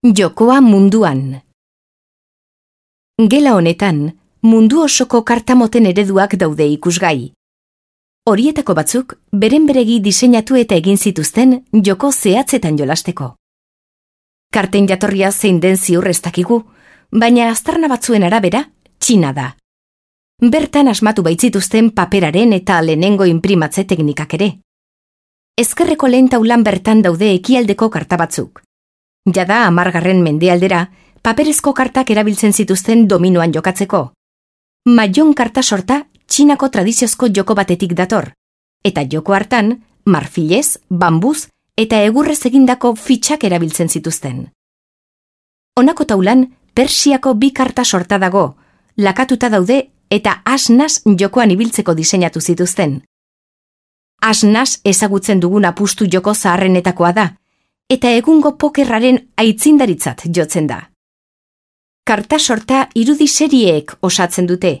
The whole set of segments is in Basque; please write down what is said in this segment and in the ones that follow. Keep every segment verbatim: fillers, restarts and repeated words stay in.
Jokoa munduan. Gela honetan, mundu osoko kartamoten ereduak daude ikusgai. Horietako batzuk, beren beregi diseinatu eta egin zituzten joko zehatzetan jolasteko. Karten jatorria zein den ziur ez dakigu, baina aztarna batzuen arabera, Txina da. Bertan asmatu baitzituzten paperaren eta lehenengo inprimatze teknikak ere. Ezkerreko lehen taulan bertan daude ekialdeko karta batzuk. Jada hamargarren mendealdera, paperezko kartak erabiltzen zituzten dominoan jokatzeko. Mahjong karta sorta Txinako tradiziozko joko batetik dator, eta joko hartan, marfilez, bambuz eta egurrez egindako fitxak erabiltzen zituzten. Honako taulan, Persiako bi karta sorta dago, lakatuta daude eta as-nas jokoan ibiltzeko diseinatu zituzten. As-nas ezagutzen dugun apustu joko zaharrenetakoa da, eta egungo pokerraren aitzindaritzat jotzen da. Karta sorta irudi serieek osatzen dute,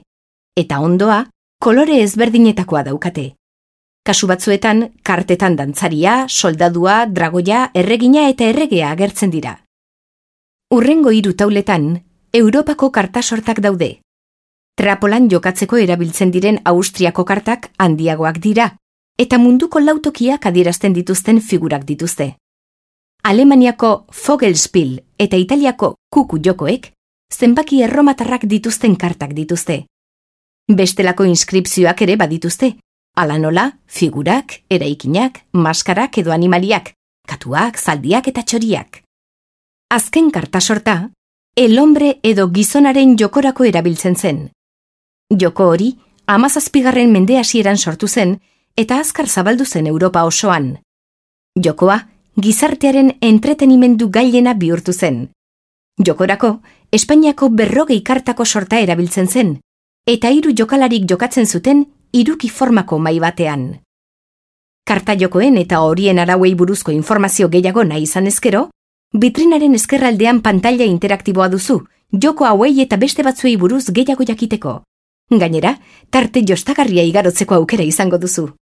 eta ondoa kolore ezberdinetakoa daukate. Kasu batzuetan, kartetan dantzaria, soldadua, dragoia, erregina eta erregea agertzen dira. Hurrengo hiru tauletan, Europako karta sortak daude. Trapolan jokatzeko erabiltzen diren Austriako kartak handiagoak dira, eta munduko lautokiak adierazten dituzten figurak dituzte. Alemaniako Vogelspiel eta Italiako kuku jokoek zenbaki erromatarrak dituzten kartak dituzte. Bestelako inskripzioak ere badituzte, hala nola, figurak, eraikinak, maskarak edo animaliak, katuak, zaldiak eta txoriak. Azken karta sorta, el hombre edo gizonaren jokorako erabiltzen zen. Joko hori, hamazazpigarren mende hasieran sortu zen eta azkar zabaldu zen Europa osoan. Jokoa, gizartearen entretenimendu gailena bihurtu zen. Jokorako, Espainiako berrogei kartako sorta erabiltzen zen, eta hiru jokalarik jokatzen zuten hiruki formako mahai batean. Karta jokoen eta horien arauei buruzko informazio gehiago nahi izan ezkero, bitrinaren ezkerraldean pantaila interaktiboa duzu, joko hauei eta beste batzuei buruz gehiago jakiteko. Gainera, tarte jostagarria igarotzeko aukera izango duzu.